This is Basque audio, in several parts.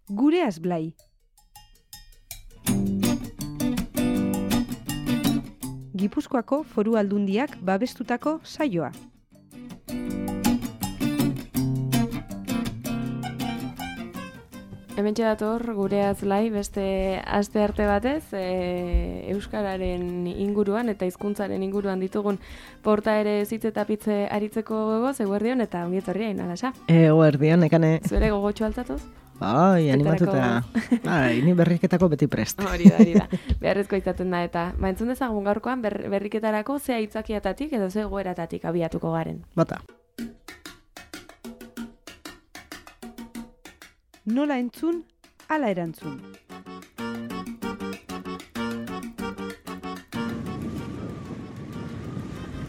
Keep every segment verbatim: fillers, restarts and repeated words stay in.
Gureaz Blai. Gipuzkoako Foru Aldundiak babestutako saioa. Hementxe dator Gureaz Blai beste aste arte batez, e, euskararen inguruan eta hizkuntzaren inguruan ditugun porta ere zitze eta pitze aritzeko gogoz, eguerdion eta ongi etorria inalasa. Eguerdion, ekane. Zuere gogotxo altzatuz? Bai, animatuta. Bai, ni berriketako beti prest. Hori da, hori da. Beharrezko izaten da eta ba, entzun dezagun gaurkoan ber, berriketarako ze aitzakiatatik edo ze goeratatik abiatuko garen. Bata. Nola entzun, ala erantzun.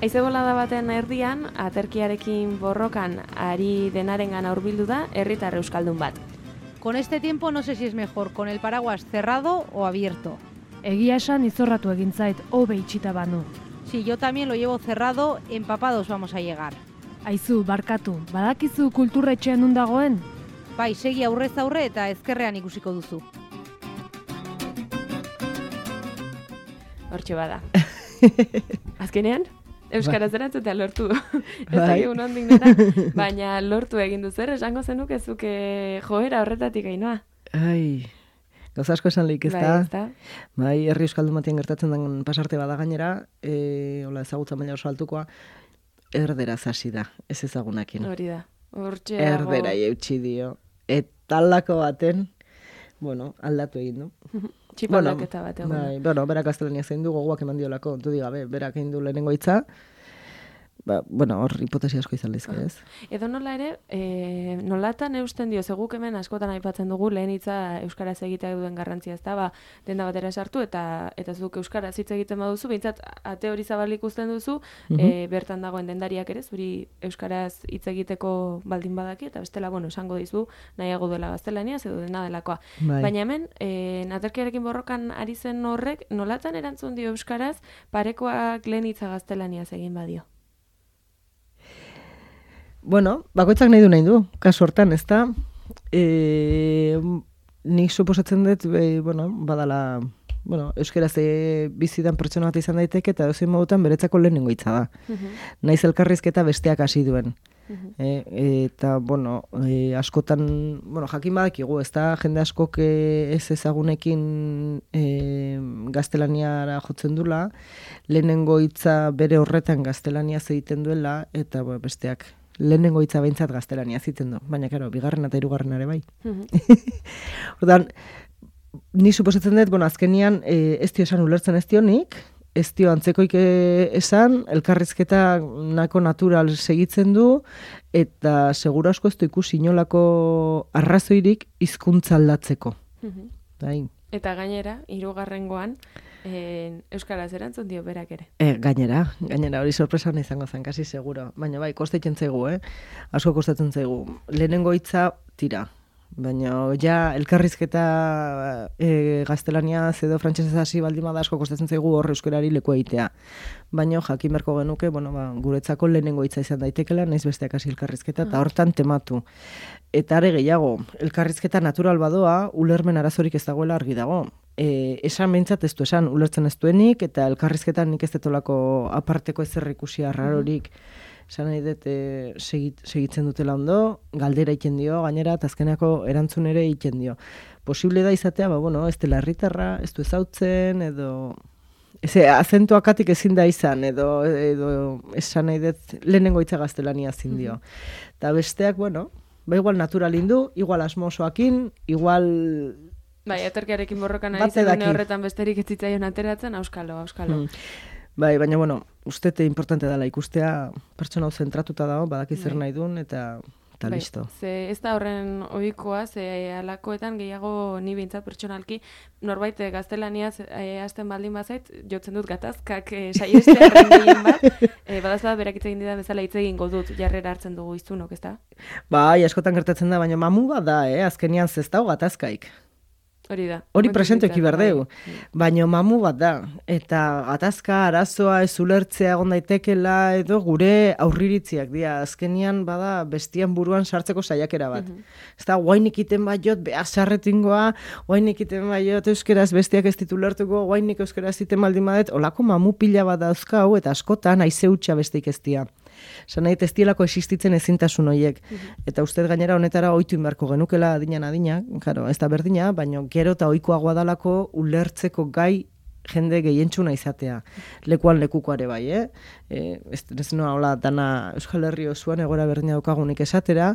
Haize bolada baten erdian, aterkiarekin borrokan ari denarengan hurbildu da herritar euskaldun bat. Con este tiempo no sé si es mejor, con el paraguas cerrado o abierto. Egia esan izorratu egin zait, hobe itxita banu. Si yo también lo llevo cerrado, empapados vamos a llegar. Aizu, barkatu, badakizu kulturretxean nun dagoen? Bai, segi aurrez aurre eta ezkerrean ikusiko duzu. Hortxe bada. Azkenean, euskaraz erantzutea lortu du. Ez dakigu nondik nora, baina lortu egin du zer, esango zenuke zuke joera horretatik gainoa. Ai, gauza asko esan lehik ez da. Bai, ez da. Bai, herri euskaldun batien gertatzen den pasarte bada gainera, e, hola ezagutza maila oso altukoa, erderaz hasi da, ez ezagunakin. Hori da. Hortxe dago. Erdera eutxi dio. Eta aldako baten, bueno, aldatu egin du. Txipaldaketa bat egon. Bai, bueno, berak gaztelania zein du, gogoak eman diolako, du digabe, berak egin du lehenengo hitza. Ba, bueno, hor hipotesi asko izan lezke, ez? Edo nola ere, e, nolatan eusten dio, zeguk hemen askotan aipatzen dugu lehen hitza euskaraz egiteak duen garrantzia, ez da, ba, denda batera sartu eta eta zuk euskaraz hitz egiten baduzu, behintzat ate hori zabalik ikusten duzu, Mhm. e, bertan dagoen dendariak ere, zuri euskaraz hitz egiteko baldin badaki, eta bestela, bueno, esango dizu, nahiago duela gaztelaniaz edo dena delakoa. Bai. Baina hemen, e, aterkiarekin borrokan ari zen horrek, nolatan erantzun dio euskaraz, parekoak lehen hitza gaztelaniaz egin badio? Bueno, bakoitzak nahi du nahi du, kasu hortan, ez da? E, nik suposatzen dut, e, bueno, badala, bueno, euskaraz e, bizidan pertsona bat izan daiteke eta dozein modutan beretzako lehenengo hitza da. Mhm. Naiz elkarrizketa besteak hasi duen. Mhm. E, eta, bueno, e, askotan, bueno, jakin badakigu, ez da, jende askok e, ez ezagunekin e, gaztelaniara jotzen dula, lehenengo hitza bere horretan gaztelaniaz egiten duela, eta bueno, besteak lehenengo hitza behintzat gaztelaniaz egiten du, baina, karo, bigarren eta hirugarren ere bai. Mhm. Ordan, ni suposatzen dut, bueno, azkenian e, ez dio esan ulertzen ez dionik, ez dio antzekoik esan, elkarrizketa nako natural segitzen du, eta segura asko ez du ikusi inolako arrazoirik hizkuntza aldatzeko. Mhm. Bai. Eta gainera, hirugarrengoan, eh, euskaraz erantzun dio berak ere. E, gainera, gainera hori sorpresa hona izango zen, kasi seguro. Baina bai, kostatzen zaigu, eh? Asko kostatzen zaigu. Lehenengo hitza tira. Baina ja elkarrizketa e, gaztelaniaz edo frantsesez hasi baldin bada asko kostatzen zaigu hor euskarari leku egitea. Baina jakin beharko genuke, bueno, ba, guretzako lehenengo hitza izan daitekela, naiz besteak hasi elkarrizketa eta hortan tematu. Eta are gehiago, elkarrizketa natural badoa, ulermen arazorik ez dagoela argi dago. E, esan behintzat ez du esan, ulertzen ez duenik, eta elkarrizketan nik ez detolako aparteko ezer ikusi arrarorik. Esan nahi dut e, segit, segitzen dutela ondo, galdera egiten dio, gainera, eta azkeneko erantzun ere egiten dio. Posible da izatea, ba, bueno, ez dela herritarra, ez du ezautzen, edo... Eze, azentuakatik ezin da izan, edo, edo esan nahi dut lehenengo hitza gaztelania zin dio. Eta besteak, bueno, ba igual natural indu, igual asmosoakin, igual... Bai, aterkiarekin borrokan ari Bate zen daki. horretan besterik ez zitzaion ateratzen, auskalo, auskalo. Mm. Bai, baina, bueno, ustete importante dela ikustea, pertsona hau zentratuta dago, badaki zer Bai. nahi duen, eta, eta Bai, listo. ze ez da horren ohikoa, ze alakoetan gehiago ni behintzat pertsonalki, norbait eh, gaztelaniaz eh, hasten baldin bazait, jotzen dut gatazkak eh, saiestearen gehien bat, eh, badazda berak hitz egin didan bezala hitz egingo dut jarrera hartzen dugu iztunok, ez da? Bai, askotan gertatzen da, baina mamu bat da, eh? Azkenian ez dago gatazkaik. Hori da. Hori presentoki berdeu. Baina mamu bat da. Eta gatazka, arazoa, ez ulertzea egon daitekela, edo gure aurriritziak dira. Azkenian bada bestian buruan sartzeko saiakera bat. Mm -hmm. Ez da, guainik iten baiot, beha sarretingoa, guainik iten baiot euskeraz bestiak ez ditu lertuko, guainik euskeraz iten baldin badet, olako mamu pila bat dauzkau, eta askotan aize hutsa besteik ez dira. Zan nahi, ez dielako existitzen ezintasun horiek. Mm -hmm. Eta uste gainera honetara ohitu inbarko genukela adinan adina, claro, ez da berdina, baina gero eta ohikoagoa dalako ulertzeko gai jende gehientzuna izatea. Lekuan lekukoare bai, eh? E, ez, ez noa, hola, dana Euskal Herri osoan egora berdina daukagunik esatera,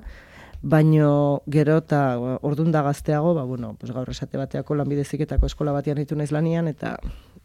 baino gero eta ordun da gazteago, ba, bueno, pues gaur esate bateako lanbideziketako eskola batean ditu naiz lanian, eta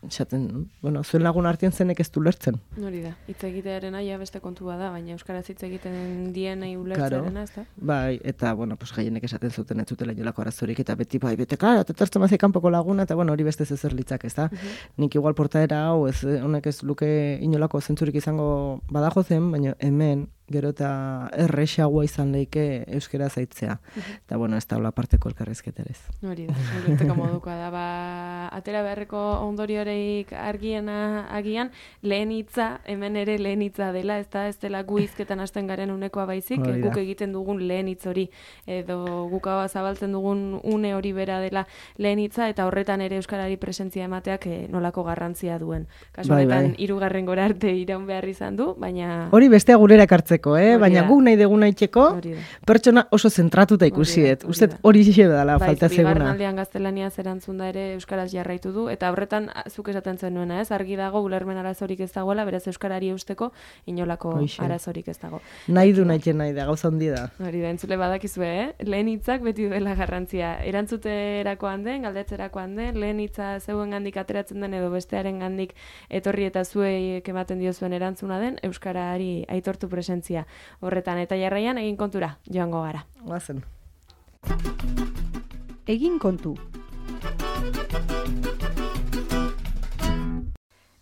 esaten, bueno, zuen lagun artean zenek ez du lertzen. Hori da, hitz egitearen aia beste kontua da, baina euskaraz hitz egiten dienei ulertzearena, ez da? Bai, eta, bueno, pues gehienek esaten zuten ez zutela inolako arazorik, eta beti, bai, bete, klar, eta tertzen mazik kanpoko laguna, eta, bueno, hori beste zezer litzak, ez da? Uh -huh. Nik igual portaera hau, ez, honek ez luke inolako zentzurik izango badajo zen, baina hemen, gero eta errexagoa izan leike euskera zaitzea. Eta, bueno, ez da hola parteko elkarrizketerez. Hori da, ulertzeko modukoa da. Ba, atera beharreko ondorioreik argiena agian, lehen hitza, hemen ere lehen hitza dela, ez da, ez dela gu hizketan hasten garen unekoa baizik, guk egiten dugun lehen hitz hori, edo guk hau zabaltzen dugun une hori bera dela lehen hitza, eta horretan ere euskarari presentzia emateak eh, nolako garrantzia duen. Kasu honetan, bai, bai. Hirugarren gora arte iraun behar izan du, baina... Hori bestea gurera ekartzeko. Eh? Baina guk nahi dugun aitzeko, pertsona oso zentratuta ikusi dut. Uste hori zixe dela falta zeguna. Bigarren aldean gaztelania zerantzun da ere euskaraz jarraitu du, eta horretan zuk esaten zenuena, ez? Argi dago ulermen arazorik ez dagoela, beraz euskarari eusteko inolako Oixe. arazorik ez dago. Nahi du nahi nahi da, gauza handi da. Hori da, entzule badakizue, eh? Lehen hitzak beti duela garrantzia. Erantzuterakoan den, galdetzerakoan den, lehen hitza zeuen gandik ateratzen den edo bestearen gandik etorri eta zuei ematen diozuen erantzuna den, euskarari aitortu presentzia. Horretan eta jarraian egin kontura joango gara. Guazen. Egin kontu.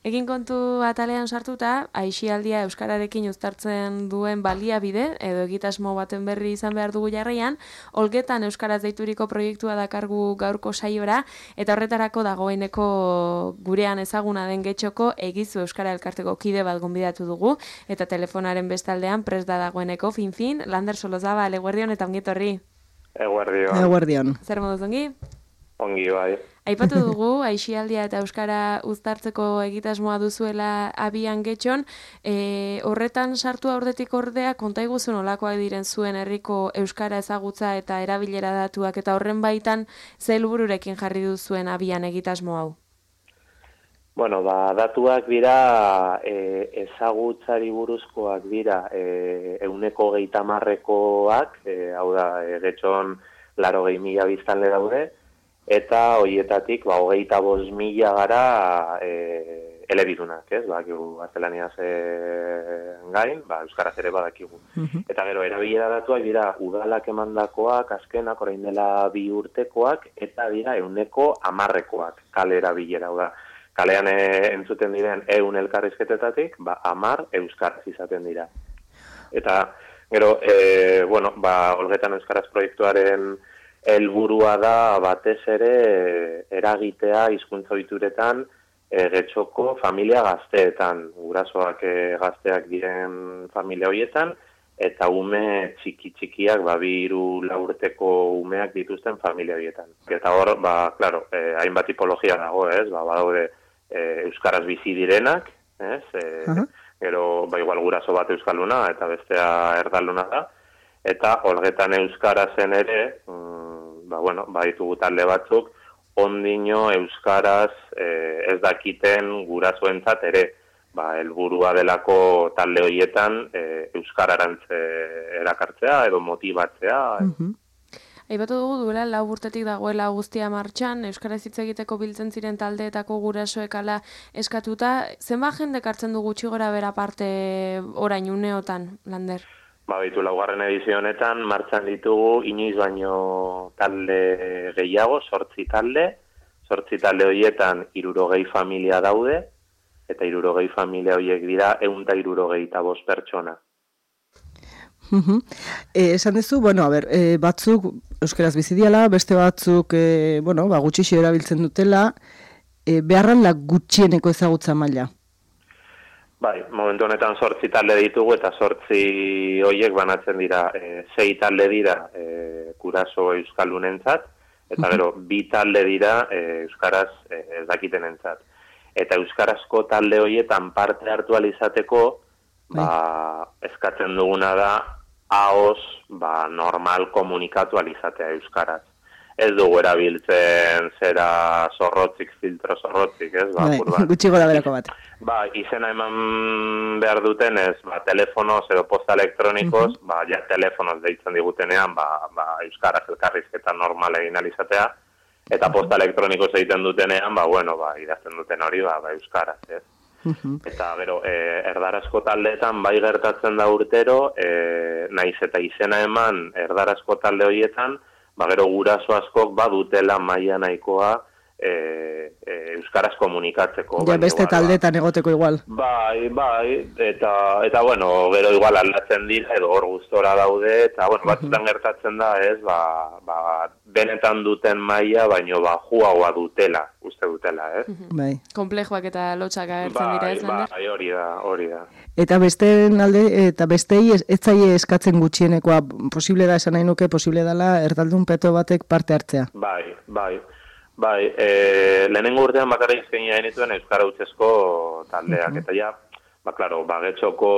Egin kontu atalean sartuta, aisialdia euskararekin uztartzen duen baliabide, edo egitasmo baten berri izan behar dugu jarraian, Olgetan euskaraz deituriko proiektua dakargu gaurko saiora, eta horretarako dagoeneko gurean ezaguna den Getxoko Egizu Euskara Elkarteko kide bat gonbidatu dugu, eta telefonaren bestaldean prest da dagoeneko, fin-fin, Lander Solozabal, eguerdion eta ongietorri. Eguerdion. Eguerdion. Zer moduz ongi? Ongi, bai. Aipatu dugu, aisialdia eta euskara uztartzeko egitasmoa duzuela abian Getxon, e, horretan sartu aurretik ordea, konta iguzu nolakoak diren zuen herriko euskara ezagutza eta erabilera datuak, eta horren baitan ze helbururekin jarri duzuen abian egitasmo hau? Bueno, ba, datuak dira, e, ezagutzari buruzkoak dira, e, euneko geita marrekoak, e, hau da, e, Getxon laro gehi mila biztanle daude, eta horietatik, ba, hogeita bost mila gara e, elebidunak, ez? Badakigu gaztelaniaz e, gain, ba, euskaraz ere badakigu. Uh-huh. Eta gero, erabilera datuak dira, udalak emandakoak, azkenak, orain dela bi urtekoak, eta dira euneko amarrekoak, kale erabilera, da. Kalean e, entzuten diren eun elkarrizketetatik, ba, amar euskaraz izaten dira. Eta, gero, e, bueno, ba, Olgetan euskaraz proiektuaren helburua da batez ere eragitea hizkuntza ohituretan e, Getxoko familia gazteetan, gurasoak e, gazteak diren familia horietan, eta ume txiki txikiak, ba, bi hiru lau urteko umeak dituzten familia horietan. Eta hor, ba, claro, e, hainbat tipologia dago, ez? Ba, badaude e, euskaraz bizi direnak, ez? E, uh-huh. Gero, ba, igual guraso bat euskalduna eta bestea erdalduna da, eta Olgetan euskarazen ere, ba, bueno, ba, ditugu talde batzuk, ondino euskaraz eh, ez dakiten gurasoentzat ere, ba, helburua delako talde horietan eh, euskararantz eh, erakartzea edo motibatzea. Uh-huh. Aipatu dugu duela lau urtetik dagoela guztia martxan, euskaraz hitz egiteko biltzen ziren taldeetako gurasoekala eskatuta, zenbat jende hartzen du gutxi gora bera parte orain uneotan, Lander? Ba, bitu, laugarren edizio honetan, martxan ditugu, inoiz baino talde gehiago, sortzi talde, sortzi talde horietan hirurogei familia daude, eta hirurogei familia horiek dira, ehun eta hirurogeita bost pertsona. Uh-huh. Eh, esan duzu, bueno, a ber, eh, batzuk euskaraz bizi diala, beste batzuk e, bueno, ba, gutxixo erabiltzen dutela, e, beharran la gutxieneko ezagutza maila. Bai, momentu honetan zortzi talde ditugu eta zortzi hoiek banatzen dira, e, sei talde dira e, guraso euskaldunentzat, eta gero bi talde dira e, euskaraz e, ez dakitenentzat. Eta euskarazko talde horietan parte hartu alizateko, ba, eskatzen duguna da, ahoz, ba, normal komunikatu alizatea euskaraz. Ez dugu erabiltzen zera zorrotzik, filtro zorrotzik, ez? Ba, bai, gutxi gora berako bat. Ba, izena eman behar duten ez, ba, telefonoz edo posta elektronikoz, uh-huh. ba, ja, telefonoz deitzen digutenean, ba, ba, euskaraz elkarrizketa normal egin alizatea, eta posta elektronikoz egiten dutenean, ba, bueno, ba, idazten duten hori, ba, ba euskaraz, ez? Uh-huh. Eta, gero, e, erdarazko taldeetan bai gertatzen da urtero, e, naiz eta izena eman erdarazko talde horietan, ba, gero guraso askok badutela maila nahikoa e, e, euskaraz komunikatzeko. Ja, beste igual, taldetan ba, egoteko igual. Bai, bai, eta, eta bueno, gero igual aldatzen dira, edo hor gustora daude, eta, bueno, batzutan gertatzen da, ez, ba, ba, benetan duten maila, baino, ba, juagoa dutela, uste dutela, ez? Bai. Komplejoak eta lotxak agertzen bai, dira, ez, Lander? Bai, hori da, hori da. Eta besteen alde, eta bestei ez, ez zaie eskatzen gutxienekoa, posible da, esan nahi nuke, posible dela, erdaldun peto batek parte hartzea. Bai, bai. Bai, e, lehenengo urtean bakarra izkenia genituen Euskara Hutsezko taldeak, uh-huh. eta ja, ba, klaro, bagetxoko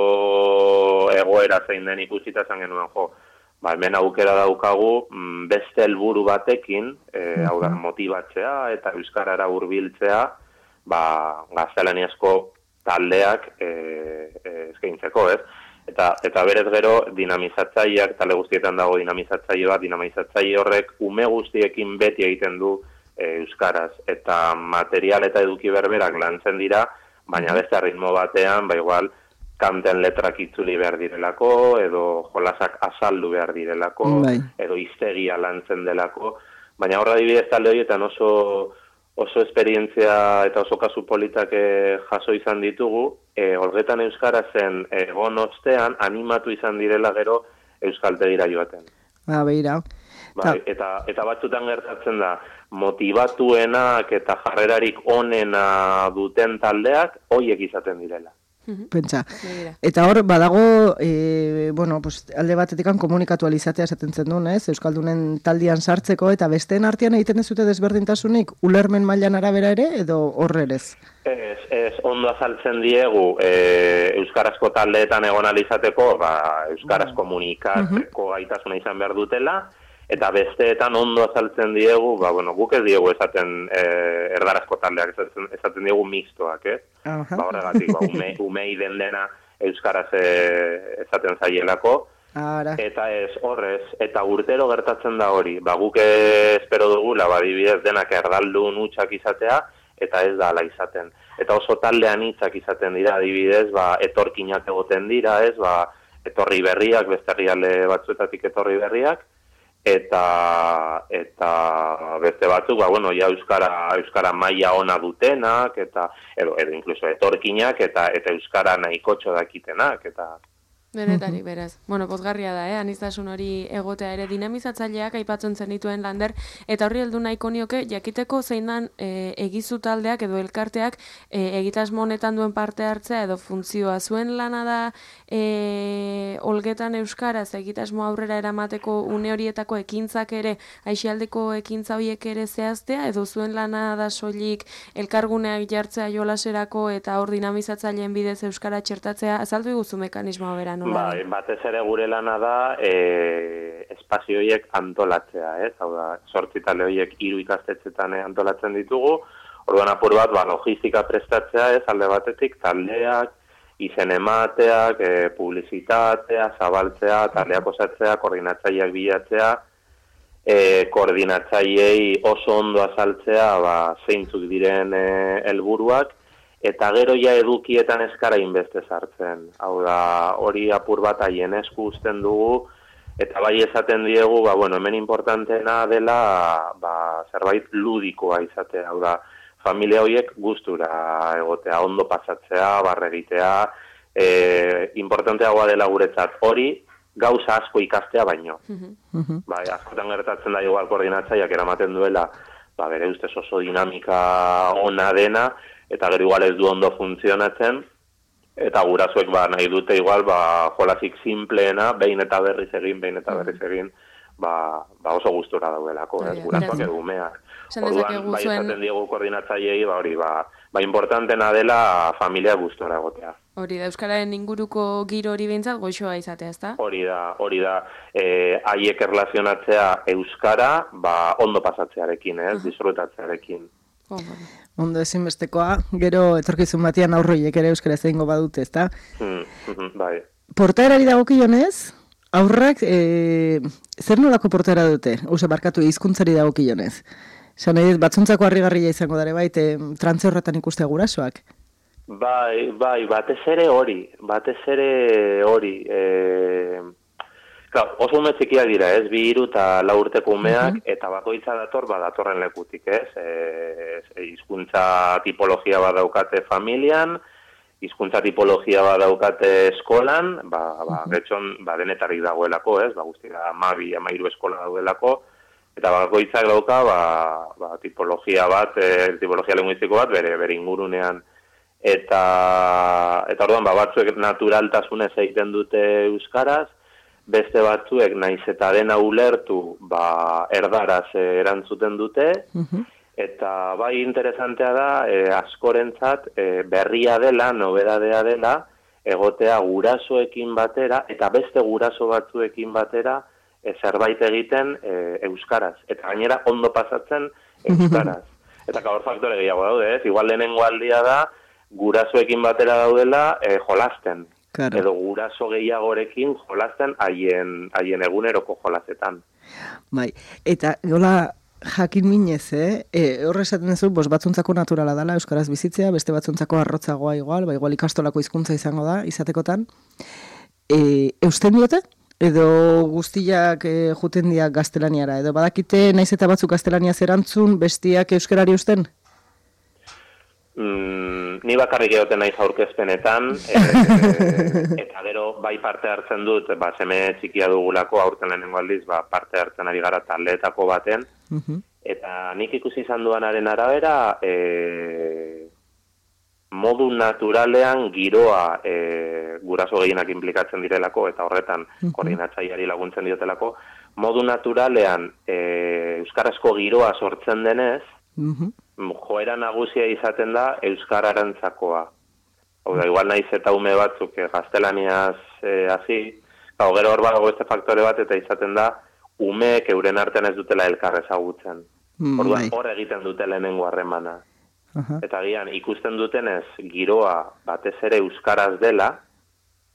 egoera zein den ikusita zan genuen, jo, ba, hemen aukera daukagu beste helburu batekin, e, uh-huh. hau da, motibatzea eta Euskarara hurbiltzea, ba, gaztelaniazko taldeak e, e, eskaintzeko, ez? Eta, eta berez gero dinamizatzaileak, talde guztietan dago dinamizatzaile bat, dinamizatzaile horrek ume guztiekin beti egiten du euskaraz, eta material eta eduki berberak lantzen dira, baina beste ritmo batean, ba igual, kanten letrak itzuli behar direlako, edo jolasak azaldu behar direlako, bai. Edo hiztegia lantzen delako, baina horra dibidez talde horietan oso, oso esperientzia eta oso kasu politak e, jaso izan ditugu, e, horretan euskarazen egon ostean animatu izan direla gero euskaltegira joaten. Ba, beira. Bai, eta, eta batzutan gertatzen da, motivatuenak eta jarrerarik onena duten taldeak hoiek izaten direla. Pentsa. Eta hor, badago, e, bueno, pues, alde batetikan komunikatu alizatea esaten zen duen, ez? Euskaldunen taldian sartzeko, eta besteen artean egiten ez dute desberdintasunik, ulermen mailan arabera ere, edo horrerez? Ez, ez, ondo azaltzen diegu, e, euskarazko taldeetan egon alizateko, ba, euskaraz komunikatzeko gaitasuna izan behar dutela, eta besteetan ondo azaltzen diegu, ba, bueno, guk ez diegu esaten e, erdarazko taldeak, esaten, esaten diegu mixtoak, ez? Uh-huh. Ba, horregatik, ba, ume, umei den dena euskaraz e, esaten zaielako, Ara. Eta ez horrez, eta urtero gertatzen da hori, ba, guk espero dugula, ba, dibidez denak erdaldun hutsak izatea, eta ez da ala izaten. Eta oso taldean hitzak izaten dira, adibidez, ba, etorkinak egoten dira, ez, ba, etorri berriak, beste herrialde batzuetatik etorri berriak, eta eta beste batzuk, ba, bueno, ja euskara euskara maila ona dutenak eta edo edo incluso etorkinak eta eta euskara nahikotxo dakitenak eta Benetarik, beraz. Bueno, pozgarria da, eh? Aniztasun hori egotea ere dinamizatzaileak aipatzen zenituen Lander, eta horri heldu nahiko nioke, jakiteko zein dan e, egizu taldeak edo elkarteak e, egitasmo honetan duen parte hartzea edo funtzioa. Zuen lana da e, olgetan euskaraz egitasmo aurrera eramateko une horietako ekintzak ere, aixialdeko ekintza horiek ere zehaztea, edo zuen lana da soilik elkarguneak jartzea jolaserako eta hor dinamizatzaileen bidez euskara txertatzea, azaldu iguzu mekanismoa bera. Bai, batez ere gure lana da e, espazio horiek antolatzea, ez? Hau da, zortzi talde horiek hiru ikastetxetan antolatzen ditugu, orduan apur bat, ba, logistika prestatzea, ez? Alde batetik, taldeak, izen emateak, e, publizitatea, zabaltzea, taldeak osatzea, koordinatzaileak bilatzea, e, koordinatzaileei oso ondo azaltzea, ba, zeintzuk diren helburuak, eta gero ja edukietan eskara inbeste sartzen. Hau da, hori apur bat haien esku uzten dugu, eta bai esaten diegu, ba, bueno, hemen importantena dela ba, zerbait ludikoa izatea. Hau da, familia horiek gustura egotea, ondo pasatzea, barregitea, e, importanteagoa dela guretzat hori, gauza asko ikastea baino. Mhm. Bai, askotan gertatzen da igual koordinatzaileak eramaten duela, ba, bere ustez oso dinamika ona dena, eta gero igual ez du ondo funtzionatzen, eta gurasoek ba, nahi dute igual ba, jolasik simpleena, behin eta berriz egin, behin eta berriz egin, ba, ba oso gustura daudelako, ez, gurasoak edo umeak. Orduan, bai esaten diegu koordinatzaileei, ba hori, ba, ba importantena dela familia gustura egotea. Hori da, Euskararen inguruko giro hori behintzat goxoa izatea, ezta? Hori da, hori da, eh, haiek erlazionatzea Euskara, ba, ondo pasatzearekin, ez, disfrutatzearekin. Oh, bueno. Ondo ezinbestekoa, gero etorkizun batean aurroiek ere euskara egingo badute, ezta? Hmm, bai. Portaerari dagokionez, aurrak e, zer nolako portaera dute? Ose, barkatu, hizkuntzari dagokionez. Esan nahi dut, batzuntzako harrigarria izango dare baita, trantze horretan ikustea gurasoak. Bai, bai, batez ere hori, batez ere hori. E... Klar, oso ume txikiak dira, ez, bi hiru eta lau urteko umeak, uh -huh. eta bakoitza dator, ba, datorren lekutik, ez, e, hizkuntza tipologia bat daukate familian, hizkuntza tipologia bat daukate eskolan, ba, ba, getxon, ba, denetarik dagoelako, ez, ba, guztira, amabi, amairu eskola daudelako, eta bakoitzak dauka, ba, ba, tipologia bat, e, tipologia linguistiko bat, bere, bere ingurunean, eta, eta orduan, ba, batzuek naturaltasunez egiten dute euskaraz, beste batzuek naiz eta dena ulertu, ba, erdaraz erantzuten dute, uh-huh. eta bai interesantea da, e, askorentzat e, berria dela, nobedadea dela, egotea gurasoekin batera, eta beste guraso batzuekin batera, e, zerbait egiten e, euskaraz. Eta gainera ondo pasatzen euskaraz. Eta gaur faktore gehiago daude, ez? Igual lehenengo aldia da, gurasoekin batera daudela e, jolasten. Claro. Edo guraso gehiagorekin jolasten haien haien eguneroko jolasetan. Bai, eta gola jakin minez, eh? E, horre esaten duzu, bos batzuntzako naturala dela euskaraz bizitzea, beste batzuntzako arrotzagoa igual, ba igual ikastolako hizkuntza izango da izatekotan. E, eusten diote? Edo guztiak e, juten diak gaztelaniara, edo badakite naiz eta batzuk gaztelaniaz erantzun, bestiak euskarari usten? Mm, ni bakarrik egoten naiz aurkezpenetan, e, eta gero bai parte hartzen dut, ba, seme txikia dugulako, aurten lehenengo aldiz, ba, parte hartzen ari gara taldeetako baten, uh-huh. eta nik ikusi izan duanaren arabera, e, modu naturalean giroa e, guraso gehienak implikatzen direlako, eta horretan uh-huh. koordinatzaileari laguntzen diotelako, modu naturalean e, euskarazko giroa sortzen denez, uh-huh. joera nagusia izaten da euskararantzakoa. Hau da, igual naiz eta ume batzuk eh, gaztelaniaz eh, hasi, hau gero hor badago beste faktore bat eta izaten da umeek euren artean ez dutela elkar ezagutzen. Mm, Orduan hor egiten dute lehenengo harremana. Uh-huh. Eta gian, ikusten dutenez giroa batez ere euskaraz dela,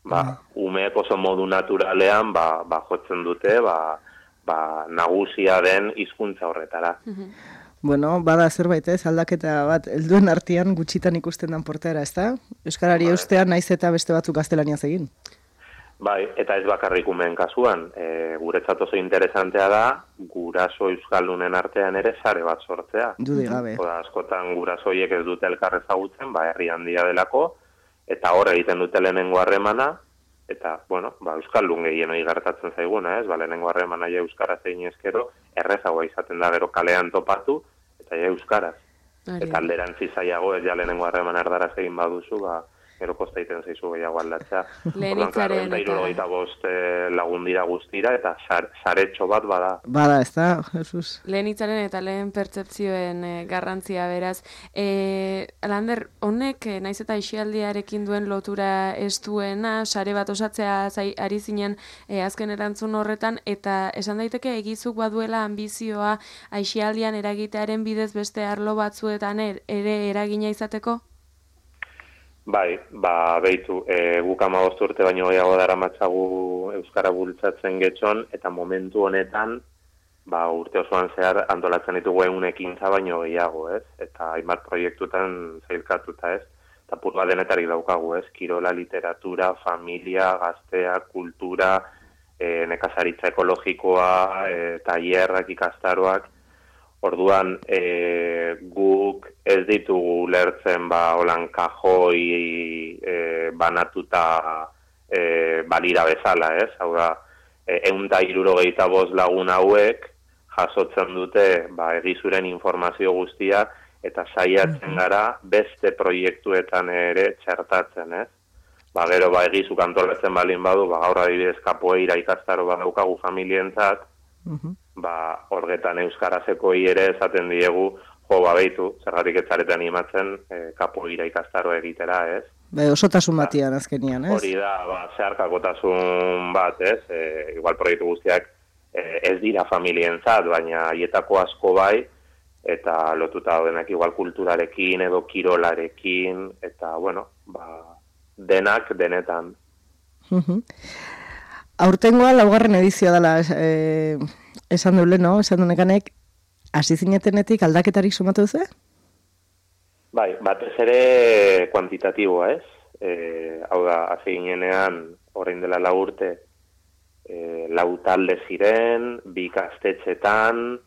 ba, uh-huh. umeek oso modu naturalean ba, ba, jotzen dute ba, ba, nagusia den hizkuntza horretara. Uh-huh. Bueno, bada zerbait ez, aldaketa bat, helduen artean gutxitan ikusten dan portaera, ez da? Euskarari eustean naiz eta beste batzuk gaztelaniaz egin. Bai, eta ez bakarrik umeen kasuan, e, guretzat oso interesantea da, guraso euskaldunen artean ere sare bat sortzea. Dudik gabe. Oda, askotan gurasoiek ez dute elkar ezagutzen, ba, herri handia delako, eta hor egiten dute lehenengo harremana, eta, bueno, ba, euskaldun gehienoi gertatzen zaiguna, ez? Ba, lehenengo harremana ja euskaraz egin ezkero, errezagoa izaten da gero kalean topatu, eta ja euskaraz. Ari. Eta alderantzi zailago, ez ja lehenengo harreman erdaraz egin baduzu, ba, gero kosta iten zaizu gehiago aldatzea. Lehenitzaren eta... Eta bost lagun dira guztira, eta saretxo bat bada. Bada, ez da, Jesus. Lehenitzaren eta lehen pertsepzioen e, garrantzia beraz. E, Lander, honek, e, naiz eta isialdiarekin duen lotura ez duena, sare bat osatzea zai, ari zinen e, azken erantzun horretan, eta esan daiteke egizuk baduela ambizioa aisialdian eragitearen bidez beste arlo batzuetan er, ere eragina izateko? Bai, ba, behitu, e, guk hamabost urte baino gehiago daramatzagu euskara bultzatzen getxon, eta momentu honetan, ba, urte osoan zehar antolatzen ditugu egun ekintza baino gehiago, ez? Eta hainbat proiektutan zailkatuta, ez? Eta purba denetarik daukagu, ez? Kirola, literatura, familia, gaztea, kultura, e, nekazaritza ekologikoa, e, tailerrak, ikastaroak. Orduan, e, guk ez ditugu lertzen ba, holan kajoi e, banatuta e, balira bezala, ez? Hau da, ehun eta hirurogeita bost lagun hauek jasotzen dute ba, egizuren informazio guztia eta saiatzen gara beste proiektuetan ere txertatzen, ez? Ba, gero, ba, egizuk antolatzen balin badu, ba, gaur adibidez kapoeira ikastaro badaukagu familientzat, uh-huh. ba, horgetan euskarazeko ere esaten diegu, jo, ba, behitu, zergatik ez zareten animatzen e, kapoeira ikastaro egitera, ez? Be, osotasun batian azkenian, ez? Hori da, ba, zeharkakotasun bat, ez? E, igual proiektu guztiak e, ez dira familientzat, baina haietako asko bai, eta lotuta daudenak igual kulturarekin edo kirolarekin, eta, bueno, ba, denak denetan. Uh-huh. Aurtengoa laugarren edizioa dela eh, esan duele, no? Esan dunekanek, hasi zinetenetik aldaketarik sumatu duzu? Bai, batez ere kuantitatiboa, ez? E, hau da, hasi ginenean, orain dela lau urte, e, lau talde ziren, bi ikastetxetan,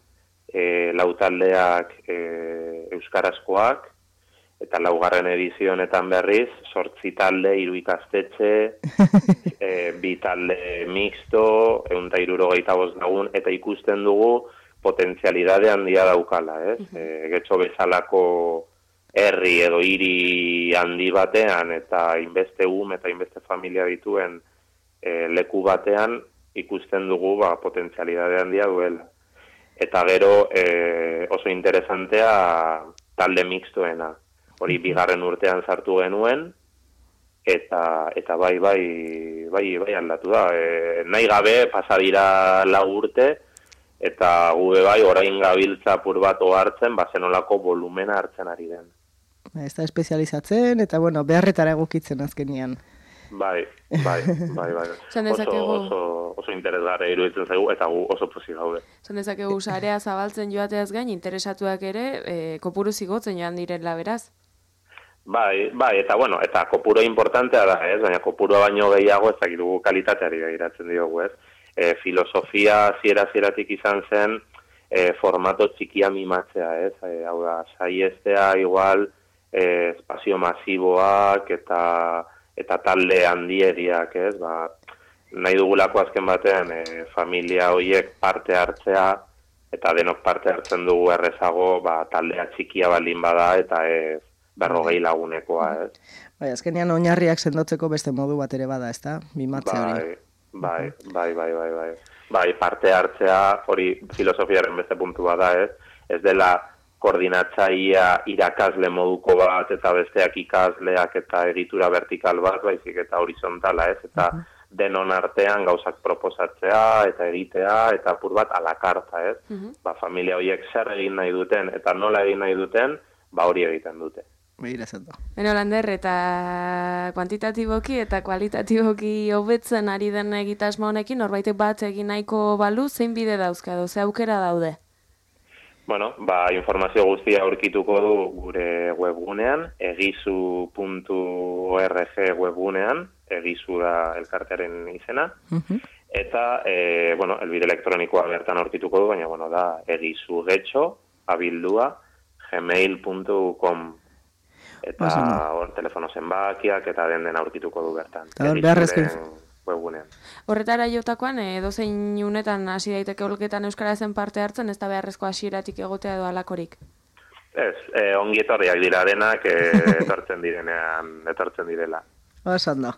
e, lau taldeak e, euskarazkoak, eta laugarren edizio honetan berriz, sortzi talde, hiru ikastetxe, e, bi talde mixto, ehun eta hirurogeita bost lagun, eta ikusten dugu potentzialidade handia daukala, ez? Uh-huh. E, getxo bezalako herri edo hiri handi batean, eta inbeste um eta inbeste familia dituen e, leku batean, ikusten dugu ba, potentzialidade handia duela. Eta gero e, oso interesantea talde mixtoena. Hori bigarren urtean sartu genuen, eta eta bai bai bai bai aldatu da. E, nahi gabe pasa dira lau urte, eta gube bai orain gabiltza apur bat hartzen, ba zenolako volumena hartzen ari den. Ez da espezializatzen, eta bueno, beharretara egokitzen azkenian. Bai, bai, bai, bai. Oso, oso, oso interesgarri iruditzen zaigu, eta gu oso pozik gaude. Zan dezakegu sarea zabaltzen joateaz gain, interesatuak ere, e, kopuru zigotzen joan direla beraz? Bai, bai, eta bueno, eta kopuru importantea da, ez? Baina kopuru baino gehiago ez dakitugu kalitateari begiratzen diogu, ez? E, filosofia ziera-zieratik izan zen e, formato txikia mimatzea, ez? E, hau da, saiestea igual e, espazio masiboak eta eta talde handieriak, ez? Ba, nahi dugulako azken batean e, familia horiek parte hartzea eta denok parte hartzen dugu errezago, ba, taldea txikia baldin bada eta ez berrogei lagunekoa, ez? Bai, azkenean oinarriak sendotzeko beste modu bat ere bada, ezta? Mimatze hori. Bai, bai, bai, bai, bai. Bai, parte hartzea, hori filosofiaren beste puntu bada, ez? Ez dela koordinatzaia irakasle moduko bat, eta besteak ikasleak eta egitura vertikal bat, baizik eta horizontala, ez? Eta uh-huh. denon artean gauzak proposatzea, eta egitea, eta apur bat alakarta, ez? Uh-huh. Ba, familia horiek zer egin nahi duten, eta nola egin nahi duten, ba hori egiten dute. Begira zendo. Beno, Lander, eta kuantitatiboki eta kualitatiboki hobetzen ari den egitasmo honekin, norbaitek bat egin nahiko balu, zein bide dauzka edo, ze aukera daude? Bueno, ba, informazio guztia aurkituko du gure webgunean, egizu puntu org webgunean, egizu da elkartearen izena, uh-huh. eta, e, bueno, elbide elektronikoa bertan aurkituko du, baina, bueno, da, egizu getxo, abildua, gmail puntu com. Eta hor telefono zenbakiak eta den den aurkituko du bertan. Eta hor beharrezkoen webgunean. Horretara jotakoan, edozein unetan hasi daiteke olketan euskarazen parte hartzen, ez da beharrezko hasieratik egotea edo alakorik? Ez, eh, ongi etorriak dira denak, eh, etortzen direnean, etortzen direla. Osan da.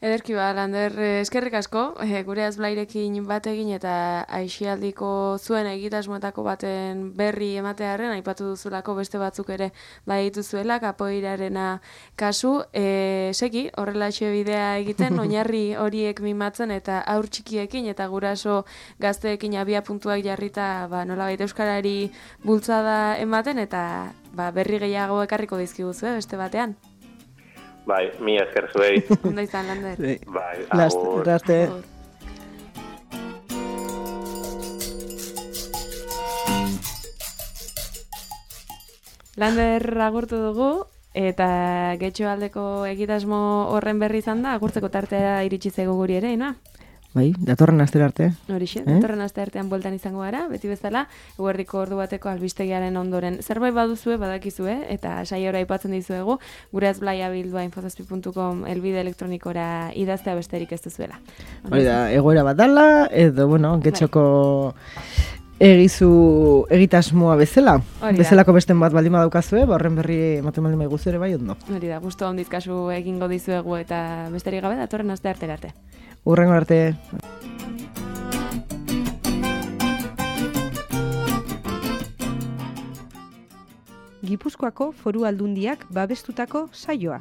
Ederki ba, Lander, eskerrik asko, e, gure azblairekin bat egin eta aixialdiko zuen egitasmoetako baten berri ematearen, aipatu duzulako beste batzuk ere bai dituzuela, kapoeirarena kasu, e, seki, horrela bidea egiten, oinarri horiek mimatzen eta aur txikiekin eta guraso gazteekin abia puntuak jarrita, ba, nolabait euskarari bultzada ematen eta ba, berri gehiago ekarriko dizkiguzu, beste batean. Bai, mi esker zuei. Ondo izan, Lander. Sí. Bai, agur. Laste. Lander agurtu dugu, eta getxo aldeko egitasmo horren berri izan da, agurtzeko tartea iritsi zego guri ere, ina? Bai, datorren astera arte. Horixe, Eh? datorren aste artean bueltan izango gara, beti bezala, eguerdiko ordu bateko albistegiaren ondoren. Zerbait baduzue, badakizue, eta saiora aipatzen dizuegu, gure azblaia bildua infozazpi puntu com elbide elektronikora idaztea besterik ez duzuela. Hori da, egoera bat dala, edo, bueno, getxoko egizu egitasmoa bezala. Hori da. Bezalako besten bat baldin badaukazue, ba horren berri ematen baldin baiguzu ere bai ondo. Hori da, gustu ondiz kasu egingo dizuegu eta besterik gabe datorren aste artera arte. Hurrengo arte. Gipuzkoako Foru Aldundiak babestutako saioa.